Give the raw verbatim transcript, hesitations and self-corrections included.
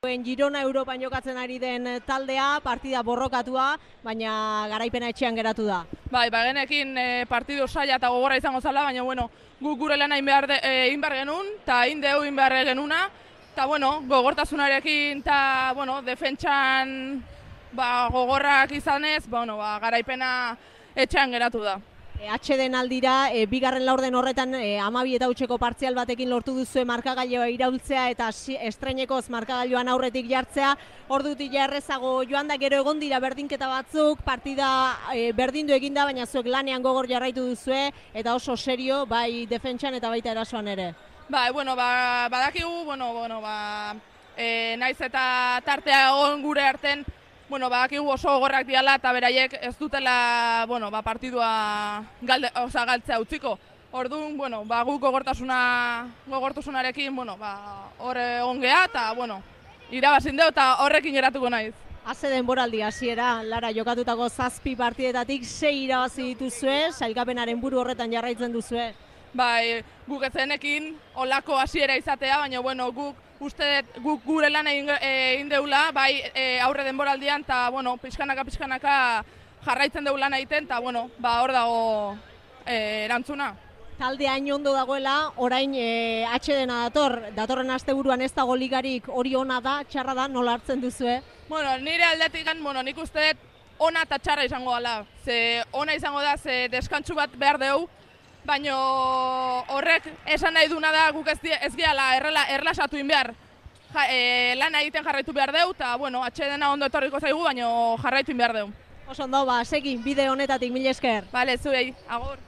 Girona Europan jokatzen ari den taldea, partida borrokatua, baina garaipena etxean geratu da. Bai, ba genekin e, partidu saia eta gogorra izango zala, baina bueno, guk gure lana egin behar, de, e, egin behar genuen, eta egin deu egin behar genuna, eta bueno, gogortasunarekin eta bueno, defentsan ba, gogorrak izanez, ba, bueno, ba, garaipena etxean geratu da. E, H den aldira, e, bigarren laurden horretan e, amabi eta hutseko partzial batekin lortu duzue markagailoa iraultzea eta estreinekoz markagailoan aurretik jartzea. Ordutik jarrezago joan da, gero egon dira berdinketa batzuk, partida e, berdindu eginda, baina zuek lanean gogor jarraitu duzue eta oso serio, bai defentsan eta baita erasoan ere. Bai, bueno, ba, badakigu, bueno, bueno, ba, e, naiz eta tartea egon gure arten, bueno, badakigu oso gogorrak diala eta beraiek ez dutela, bueno, ba, partidua galde, oza, galtzea utziko. Orduan, bueno, ba, guk gogortasuna, gogortasunarekin, bueno, ba, hor egon geha eta, bueno, irabazin deu eta horrekin geratuko naiz. Haze denboraldi hasiera, Lara, jokatutako zazpi partidetatik sei irabazi dituzue, sailkapenaren buru horretan jarraitzen duzue. Bai, guk ezenekin olako hasiera izatea, baina, bueno, guk uste guk gure lan egin, egin deula, bai e, aurre denboraldian, eta, bueno, pixkanaka, pixkanaka jarraitzen deula lan egiten, eta, bueno, ba, hor dago e, erantzuna. Talde hain ondo dagoela, orain e, H dena dator, datorren asteburuan ez dago ligarik, hori ona da, txarra da, nola hartzen duzue? Bueno, nire aldetik, bueno, nik uste ona eta txarra izango dela. Ze ona izango da, ze deskantsu bat behar deu, baina horrek esan nahi duna da guk ez, ez gehala errela, erlasatu in behar. Ja, e, lan egiten jarraitu behar deu, eta, bueno, H dena ondo etorriko zaigu, baina jarraitu in behar deu. Oso ondo, ba, segi, bide honetatik, mila esker. Bale, zuei, agur.